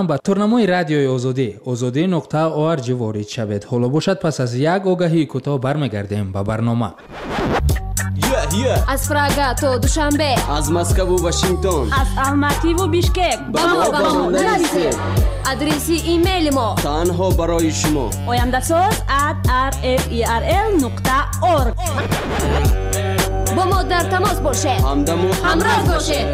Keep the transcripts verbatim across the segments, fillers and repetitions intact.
Ба турнамои Радиои Озодӣ озодӣ нуқта org ворид шавед. Ҳоло бошад, пас аз як огаҳии кӯтоҳ бармегардем ба барнома. Аз Прага то Душанбе, аз Москву Вашингтон, аз Алмативу Бишкек. Ба мо ба мо нависед. Адреси имейли мо танҳо барои шумо: ояндасоз at rferl нуқта org. Бо мо дар тамос бошед. Ҳамдаму ҳамроз бошед.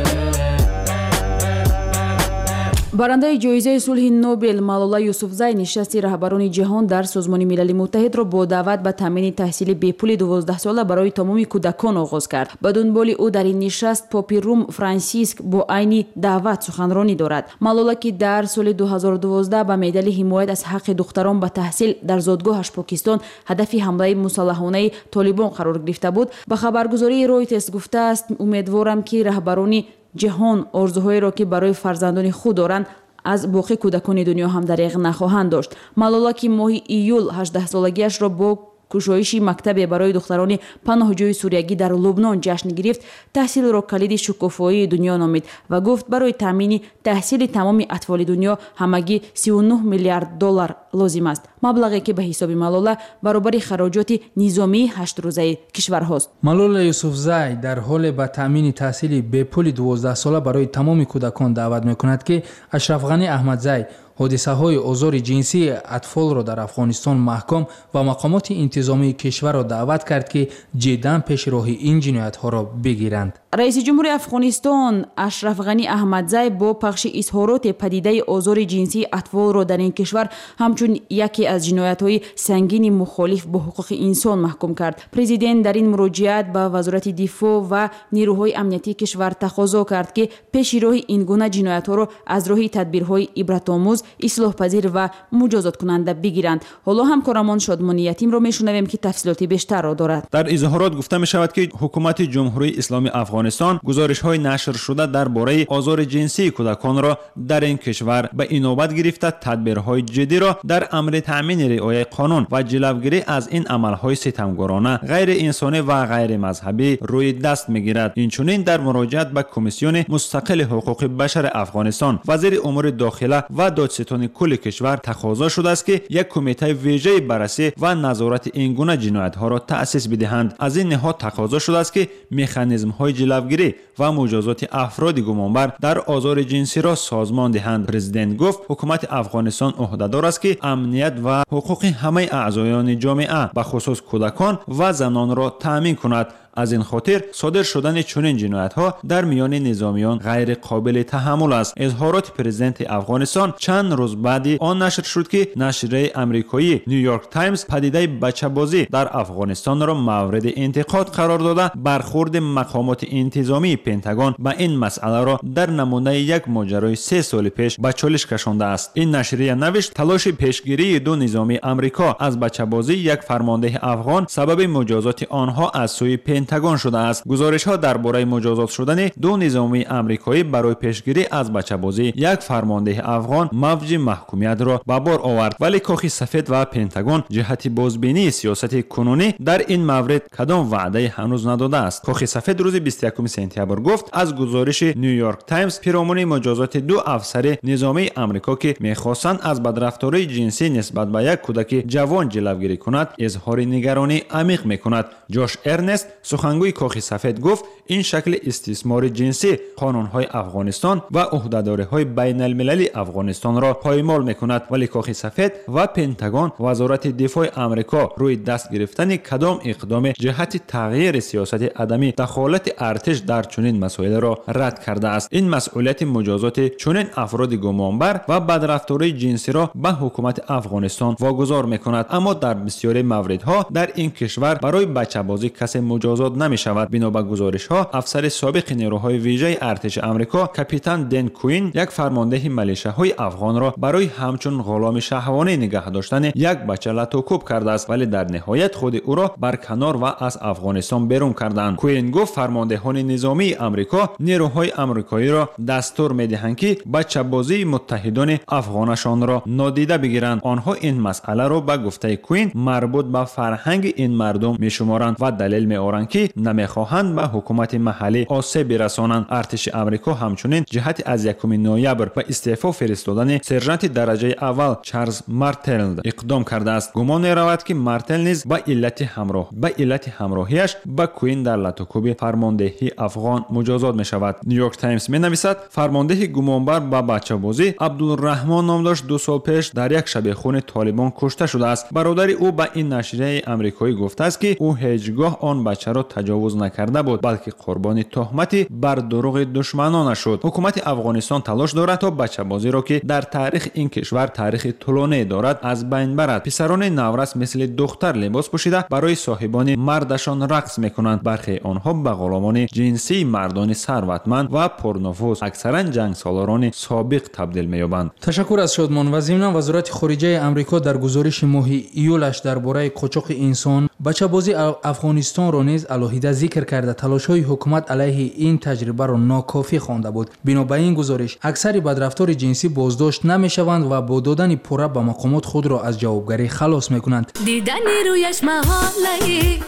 Барандаи ҷоизаи сулҳи Нобел Малола Юсуфзай нишасти раҳбарони ҷаҳон дар Созмони Милали Муттаҳидро бо даъват ба таъмини таҳсили бепули дувоздаҳсола барои тамоми кӯдакон оғоз кард. Ба дунболи ӯ дар ин нишаст попи Рум Франсиск бо айни даъват суханронӣ дорад. Малола, ки дар соли ду ҳазору дувоздаҳ ба медали ҳимоят аз ҳаққи духтарон ба таҳсил дар зодгоҳаш Покистон ҳадафи ҳамлаи мусаллаҳонаи толибон қарор гирифта буд, ба хабаргузории Ройтерс гуфтааст: «Умедворам, ки раҳбарони ҷаҳон орзуҳоеро, ки барои фарзандони худ доранд, аз боқӣ кӯдакони дунё ҳам дареғ нахоҳанд дошт». Малола, ки моҳи июл ҳаждаҳсолагиашро бо кушоиши мактабе барои духтарони паноҳҷӯи суриягӣ дар Лубнон ҷашн гирифт, таҳсилро калиди шукуфоии дунё номид ва гуфт, барои таъмини таҳсили тамоми атфоли дунё ҳамагӣ сию нӯҳ миллиард доллар лозим аст, маблағе ки ба ҳисоби Малола баробари хароҷоти низомии ҳаштрӯзаи кишварҳост. Малола Юсуфзай дар ҳоле ба таъмини таҳсили бепули дувоздаҳсола барои тамоми кӯдакон даъват мекунад, ки Ашраф Ғанӣ Аҳмадзай ҳодисаҳои озори ҷинсии атфолро дар Афғонистон маҳкум ва мақомоти интизомии кишварро даъват кард, ки ҷиддан пеши роҳи ин ҷиноятҳоро бигиранд. Раиси ҷумҳури Афғонистон Ашраф Ғанӣ Аҳмадзай бо пахши изҳороте падидаи озори ҷинсии атфолро дар ин кишвар ҳамчун яке аз ҷиноятҳои сангини мухолиф бо ҳуқуқи инсон маҳкум кард. Президент дар ин муроҷиат ба Вазорати дифоъ ва нерӯҳои амниятии кишвар тақозо кард, ки пеши роҳи ин гуна ҷиноятҳоро аз роҳи тадбирҳои ибратомӯз, ислоҳпазир ва муҷозоткунанда бигиранд. Ҳоло ҳамкорамон Шодмони Ятимро мешунавем, ки тафсилоти бештарро дорад. Дар изҳорот гуфта мешавад, ки ҳукумати Ҷумҳурии Исломии Афғонистон гузоришҳои нашршуда дар бораи озори ҷинсии кӯдаконро дар ин кишвар ба инобат гирифта, тадбирҳои ҷиддиро дар амри таъмини риояи қонун ва ҷилавгирӣ аз ин амалҳои ситамгорона, ғайриинсонӣ ва ғайримазҳабӣ рӯи даст мегирад. Инчунин дар муроҷиат ба Комиссиони мустақили ҳуқуқи башари Афғонистон, вазири умури дохила ва додситони кулли кишвар тақозо шудааст, ки як кумитаи вижаи баррасӣ ва назорати ин гуна ҷиноятҳоро таъсис бидиҳанд. Аз ин ниҳод тақозо шудааст, ки механизмҳои ҷилавгирӣ ва муҷозоти афроди гумонбар дар озори ҷинсиро созмон диҳанд. Президент гуфт, ҳукумати Афғонистон ӯҳдадор аст, ки амният ва ҳуқуқи ҳамаи аъзоёни ҷомеа, бахусус кӯдакон ва занонро таъмин кунад. Аз ин хотир содир шудани чунин ҷиноятҳо дар миёни низомиён ғайриқобили таҳаммул аст. Изҳороти президенти Афғонистон чанд рӯз баъди он нашр шуд, ки нашрияи амрикоӣ Нью Йорк Таймс падидаи бачабозӣ дар Афғонистонро мавриди интиқод қарор дода, бархурди мақомоти интизомии Пентагон ба ин масъаларо дар намунаи як моҷарои се соли пеш ба чолиш кашондааст. Ин нашрия навишт, талоши пешгирии ду низомии Амрико аз бачабозии як фармондеҳи афғон сабаби муҷозоти онҳо аз сӯи Пентагон шудааст. Гузоришҳо дар бораи муҷозот шудани ду низомии амрикоӣ барои пешгирӣ аз бачабозии як фармондеҳи афғон мавҷи маҳкумиятро ба бор овард, вале Кохи Сафед ва Пентагон ҷиҳати бозбинии сиёсати кунунӣ дар ин маврид кадом ваъдае ҳанӯз надодааст. Кохи Сафед рӯзи бисту якуми сентябр гуфт, аз гузориши Нью Йорк Таймс пиромуни муҷозоти ду афсари низомии Амрико, ки мехостанд аз бадрафтории ҷинсӣ нисбат ба як кӯдаки ҷавон ҷилавгирӣ кунад, изҳори нигаронии амиқ мекунад. Ҷош Эрнест, сухангӯи Кохи Сафед, гуфт, ин шакли истисмори ҷинсӣ қонунҳои Афғонистон ва ӯҳдадориҳои байналмилалии Афғонистонро поймол мекунад. Вале Кохи Сафед ва Пентагон, Вазорати дифои Амрико, рӯи даст гирифтани кадом иқдоме ҷиҳати тағйири сиёсати адами дахолати артиш дар чунин масоилро рад кардааст. Ин масъулияти муҷозоти чунин афроди гумонбар ва бадрафтории ҷинсиро ба ҳукумати Афғонистон вогузор мекунад. Аммо дар бисёри мавридҳо дар ин кишвар барои бачабозӣ касе муҷозот намешавад. Бино ба гузоришҳо, афсари собиқи нерӯҳои вижаи артиши Амрико капитан Ден Куин як фармондеҳи милишаҳои афғонро барои ҳамчун ғуломи шаҳвонӣ нигаҳ доштани як бача латукӯб кардааст, вале дар ниҳоят худи ӯро барканор ва аз Афғонистон берун карданд. Куин гуфт, фармондеҳони низомии Амрико нерӯҳои амрикоиро дастур медиҳанд, ки бачабозии муттаҳидони афғонашонро нодида бигиранд. Онҳо ин масъаларо, ба гуфтаи Куин, марбут ба фарҳанги ин мардум мешуморанд ва далел меоранд, ки ки намехоҳанд ба ҳукумати маҳаллӣ осеб бирасонанд. Артиши Амрико ҳамчунин ҷиҳати аз якуми ноябр ба истеъфо фиристодани сержанти дараҷаи аввал Чарлз Мартел иқдом кардааст. Гумон меравад, ки Мартел низ ба иллати ҳамроҳ ба иллати ҳамроҳиаш ба Куин дар латукӯби фармондеҳии афғон муҷозот мешавад. Нью-Йорк Таймс менависад, фармондеҳи гумонбар ба бачабозӣ Абдулраҳмон ном дошт, ду сол пеш дар як шабехуни Толибон кушта шудааст. Бародари ӯ ба ин нашрияи амрикоӣ гуфтааст, ки ӯ ҳеҷ гоҳ он бачаро таҷовуз накарда буд, балки қурбони туҳмати бар дурӯғи душманона шуд. Ҳукумати Афғонистон талош дорад, то бачабозиро, ки дар таърихи ин кишвар таърихи тӯлоние дорад, аз байн барад. Писарони наврас мисли духтар либос пӯшида барои соҳибони мардашон рақс мекунанд. Бархе онҳо ба ғуломони ҷинсии мардони сарватманд ва пурнуфуз, аксаран ҷангсолорони собиқ табдил меёбанд. Ташаккур аз Шодмон. Ва зимнан Вазорати хориҷаи Амрико дар гузориши моҳи июлаш дар бораи қочоқи инсон бачабозии Афғонистонро низ алоҳида зикр карда, талошҳои ҳукумат алайҳи ин таҷрибаро нокофӣ хонда буд. Бино ба ин гузориш, аксари бадрафтори ҷинсӣ боздошт намешаванд ва бо додани пурра ба мақомот худро аз ҷавобгарӣ халос мекунанд. Дидани рӯяш маҳолаи,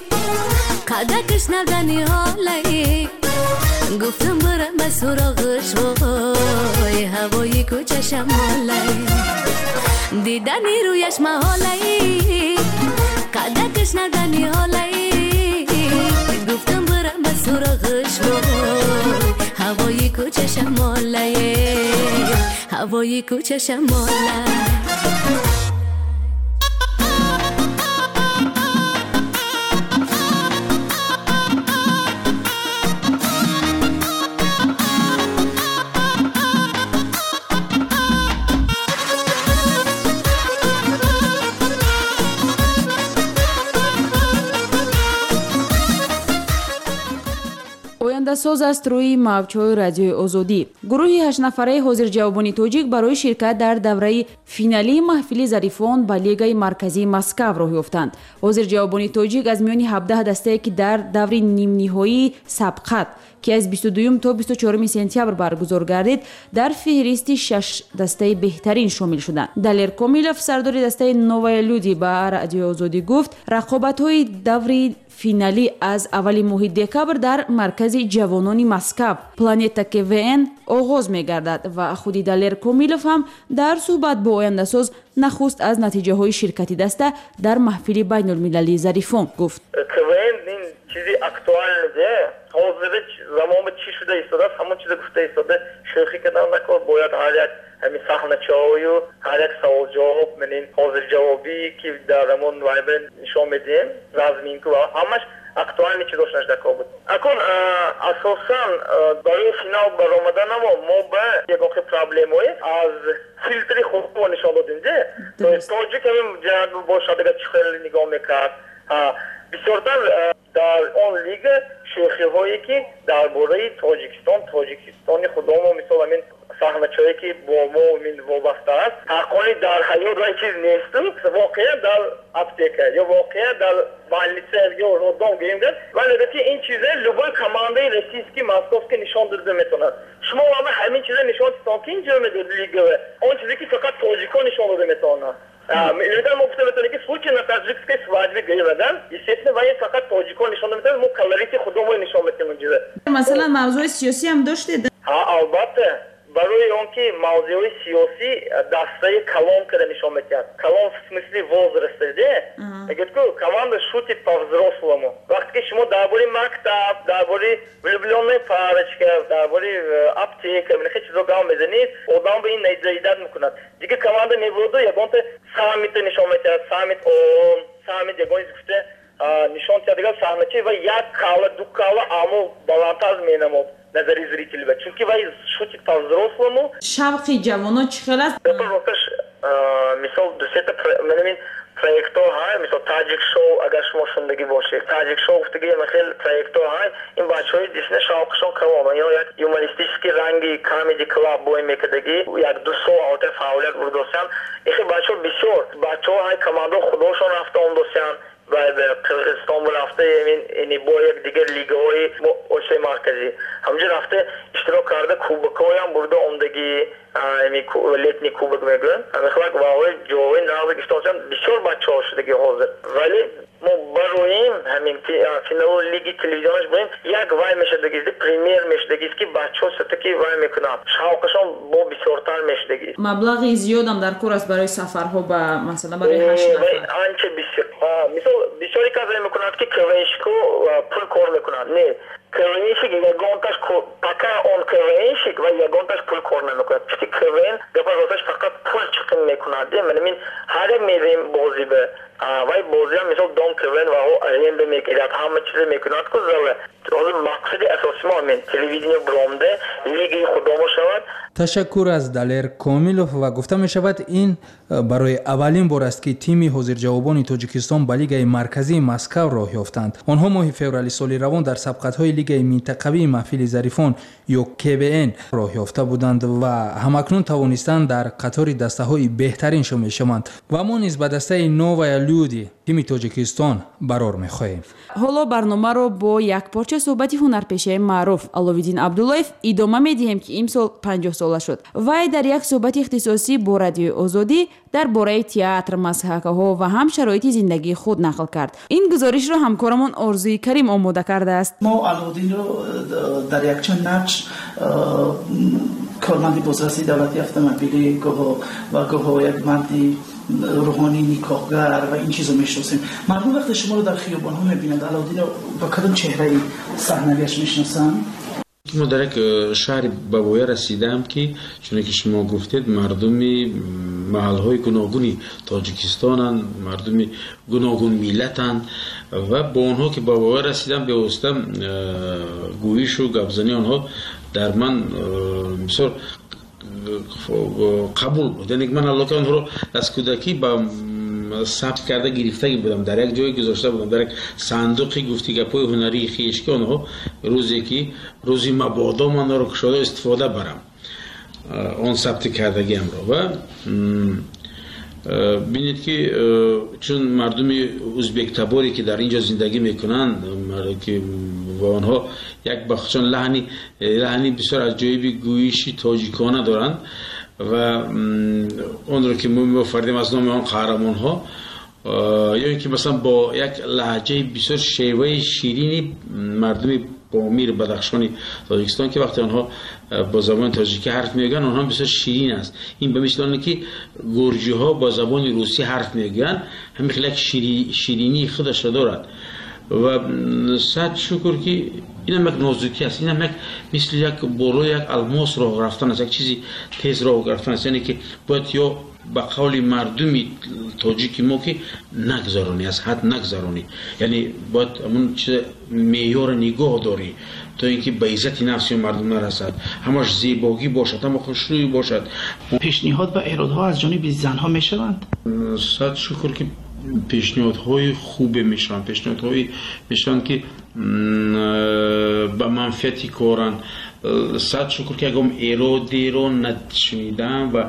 қадакаш надани ҳолаи, гуфтам барам ба суроғаш, вой ҳавои кӯча шамолаи. Дидани рӯяш маҳолаи, қадакаш надани ҳолаи, гуфтам барам ба суроғаш, вой ҳавои кӯча шамолаи, ҳавои кӯча шамолаи. Ояндасоз аст рӯи мавҷҳои радиои Озодӣ. Гурӯҳи ҳаштнафараи ҳозирҷавобони тоҷик барои ширкат дар давраи финалии маҳфили зарифон ба Лигаи марказии Москав роҳ ёфтанд. Ҳозирҷавобони тоҷик аз миёни ҳабдаҳ дастае, ки дар даври нимниҳоии сабқат, ки аз бисту дуюм то бисту чоруми сентябр баргузор гардид, дар феҳристи шаш дастаи беҳтарин шомил шуданд. Далер Комилов, сардори дастаи Новая Люди, ба радиои Озодӣ гуфт, рақобатҳои даври финалӣ аз аввали моҳи декабр дар маркази ҷавонони Москав Планета КВН оғоз мегардад ва худи Далер Комилов ҳам дар суҳбат бо ояндасоз нахуст аз натиҷаҳои ширкати даста дар маҳфили байнулмилалии зарифон гуфт. КВН ин чизи актуалне, ҳозир замон чӣ шуда истодааст, ҳамон чиза гуфта истода, шӯхӣ кардан накор, бояд ҳар як ҳамин саҳначаҳою ҳар як саволҷавоб, манин ҳозирҷавобӣ, ки дар ҳамон вайбе нишон медиҳем, разминку ва ҳамаш актуални чиз доштанаш дар кор буд. Акун асосан барои финал баромаданамо мо ба ягон хел проблемое аз филтри худмо нишон додем, де? Тоҷик ҳамин ҷиҳат бошад, агар чӣ хел нигоҳ мекард. Бисёртар дар он лига шӯхиҳое, ки дар бораи Тоҷикистон, Тоҷикистони худомо, мисол ҳамин саҳначаҳое, ки бо мо вобаста аст, ҳаққони дар ҳаёт ва чиз несту, воқеа дар аптека ё воқеа дар больница ё роддом гӯем гар, вале ки ин чизе любой командаи российский, московский нишон дода метавонад. Шумо ама ҳамин чизе нишон дидтон, ки ин ҷо медод лигаве, он чизе ки фақат тоҷикон нишон дода метавонанд. Иногда мо гуфта метавонем, ки случай на таджикской свадьбе гӯем, естественно, вай фақат тоҷикон нишон дода метавонад, мо колорити худомо нишон медиҳем он чизе. Масалан, мавзӯи сиёсӣ ҳам доштед? Ҳа, албатта. Барои он ки мавзӯи сиёсӣ дастаи калон карда нишон медиҳад. Калон в смысле возраста, де? Мегӯяд, ку команда шутит по-взрослому. Вақте ки шумо дар бораи мактаб, дар бораи влюблённая парочка, дар бораи аптека, хеле чизо гап мезанед, одам ба ин наидат мекунад. Дигар команда мебуроду ягонта саммита нишон медиҳад, саммит ООН, саммит ягон чиз гуфта нишон диҳад, дигар саҳнача ва як кала, ду кала амо баландтар менамод назари зритель, чунки вай шутит по-взрослому. Шавқи ҷавонон чӣ хел аст? Росташ, мисол ду-сета манамин проектҳо ҳай, мисол Таҷик шоу, агар шумо шундагӣ бошед, Таҷик шоу гуфтагӣ хел проектҳо ҳай, ин бачаҳои дисна шавқшон калон, ё як юмористический ранги камеди клаб бой мекардагӣ, як ду сол албатта фаъолият бурдосянд. Ихи бачаҳо бисёр бачаҳо ҳай командао худошон рафта омдосянд, ва ба Қирғизистон рафта, ин бо як дигар лигаҳои Осиёи Марказӣ ҳамҷо рафта иштирок карда, кубокҳоям бурда омдагӣ, летний кубок мегӯянд. Ҳамин ваҳои ҷоҳои нав гирифтаанд, бисёр бачаҳо шудагӣ ҳозир. Вале мо бароем ҳамин финалу лиги телевизионаш бурем, як вай мешадагист, премьер мешадагист, ки бачаҳо все-таки вай мекунанд, шавқашон бо бисёртар мешадагист. Маблағи зиёдам дар кор аст барои сафарҳо, ба масалан барои ҳашт нафар. Анча бисёр. Мисол бисёре кас мекунад, ки КВНщик пул кор мекунад. Не, КВНщик ягонташ, пока он КВНщик ва ягонташ пул кор намекунад. Чунки КВН гапа росташ фақат пул чиқим мекунад. Ман ҳар як мерем бозӣ ба вай бозиам, мисол дом КВН ва аренда мекунад, ҳама чизе мекунад ку зала. Ҳозир мақсади асосии мо ҳамин телевидение буромда лигаи худомо шавад. Ташаккур аз Далер Комилов. Ва гуфта мешавад, ин барои аввалин бор аст, ки тими ҳозирҷавобони Тоҷикистон ба лигаи марказии Москав роҳ ёфтанд. Онҳо моҳи феврали соли равон дар сабқатҳои лигаи минтақавии маҳфили зарифон ё КВН роҳ ёфта буданд ва ҳамакнун тавонистанд дар қатори дастаҳои беҳтарин шомил шаванд. Ва мо низ ба дастаи Новая Люди тими Тоҷикистон барор мехоҳем. Ҳоло барномаро бо як порча суҳбати ҳунарпешаи маъруф Аловиддин Абдуллоев идома медиҳем, ки имсол панҷоҳ сола шуд. Вай дар як суҳбати ихтисосӣ бо Радиои Озодӣ дар бораи театр, масҳакаҳо ва ҳам шароити зиндагии худ нақл кард. Ин гузоришро ҳамкорамон Орзуи Карим омода кардааст. Мо Аловиддинро дар якчанд нақш корманди бозрасии давлати автомобилӣ, гоҳо ва гоҳо як марди рӯҳонӣ никоҳгар ва ин чизо мешиносем. Мардум вақте шуморо дар хиёбонҳо мебинанд, Аловиддинро ба кадом чеҳраи саҳнавиаш мешиносанд? Мо дар як шаҳри ба воя расидаам, ки чуне ки шумо гуфтед, мардуми маҳалҳои гуногуни Тоҷикистонанд, мардуми гуногун миллатанд ва бо онҳо ки ба воя расидам, бевосита гӯишу гапзании онҳо дар ман бисёр қабул буд. Яъне ман аллока онҳоро аз кӯдакӣ ба сабт карда гирифтагӣ будам, дар як ҷое гузошта будам, дар як сандуқи гуфти гапҳои ҳунарии хеш, ки онҳо рӯзе ки рӯзи мабодо ман онро кушода истифода барам он сабти кардагиамро. Ва бинед, ки чун мардуми узбектаборе ки дар ин ҷо зиндагӣ мекунанд, ки ва онҳо як ба худшон лаҳни лаҳни бисёр аҷоиби гӯиши тоҷикона доранд ва онро ки мо меофардем аз номи он қаҳрамонҳо, ё ин ки масалан бо як лаҳҷаи бисёр шеваи ширини мардуми Помир, Бадахшони Тоҷикистон, ки вақте онҳо бо забони тоҷикӣ ҳарф мегӯянд, онҳо бисёр ширин аст. Ин ба мисли оне ки гурҷиҳо бо забони русӣ ҳарф мегӯянд, ҳамин хел як ширинии худашро дорад. Ва сад шукр, ки инам як нозукӣ аст, инам як мисли як болои як алмос роҳ рафтан аст, як чизи тез роҳ рафтан аст. Яъне ки бояд ё ба қавли мардуми тоҷики мо ки нагзаронӣ, аз ҳад нагзаронӣ, яъне бояд ҳамун чиз меъёрро нигоҳ дорӣ то ин ки ба иззати нафси мардум нарасад, ҳамаш зебогӣ бошад, ҳама хушрӯй бошад. Пешниҳод ва эродҳо аз ҷониби занҳо мешаванд? Сад шукр, ки пешниҳодҳои хубе мешаванд, пешниҳодҳое мешаванд, ки ба манфиати коранд. Сад шукр, ки ягон эродеро нашунидам ва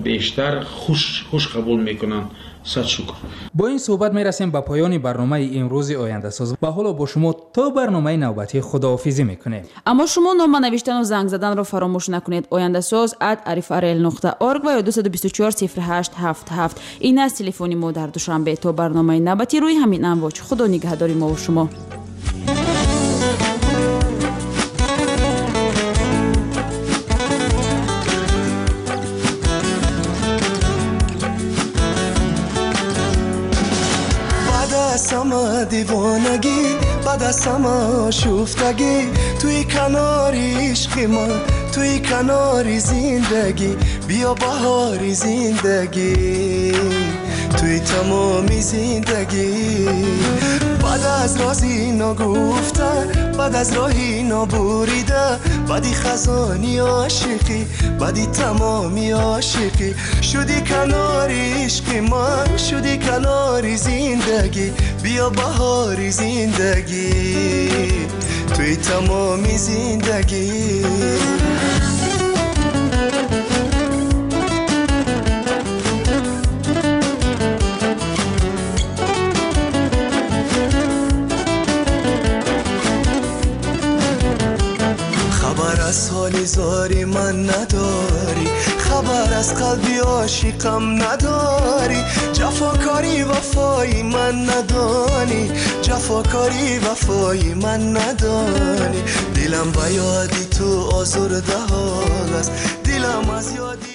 бештар хуш хуш қабул мекунанд. Сад шукр. Бо ин суҳбат мерасем ба поёни барномаи имрӯзи Ояндасоз ва ҳоло бо шумо то барномаи навбатӣ худоҳофизӣ мекунем. Аммо шумо нома навиштану занг заданро фаромӯш накунед. Ояндасоз ат арифарел нуқта орг ва ё дусаду бисту чор сифр ҳашт ҳафт ҳафт. Ин аст телефони мо дар Душанбе. То барномаи навбатӣ рӯи ҳамин амвоҷ. Худо нигаҳдори мо ва шумо. Девонагӣ, баъд аз ҳама шуфтагӣ, туи канори ишқи ман, туи канори зиндагӣ, биё баҳори зиндагӣ, туи тамоми зиндагӣ. Баъд аз рози ногуфта, баъд аз роҳи нобурида, баъди хазони ошиқӣ, баъди тамоми ошиқӣ, шуди канори ишқи ман, шуди канори зиндагӣ, биё баҳори зиндагӣ, туи тамоми зиндагӣ. Аз ҳоли зори ман надорӣ, хабар аз қалби ошиқам надорӣ, ҷафокорӣ вафои ман надонӣ, ҷафокорӣ вафои ман надонӣ. Дилам ба ёди ту озурда ҳол аст, дилам аз ёди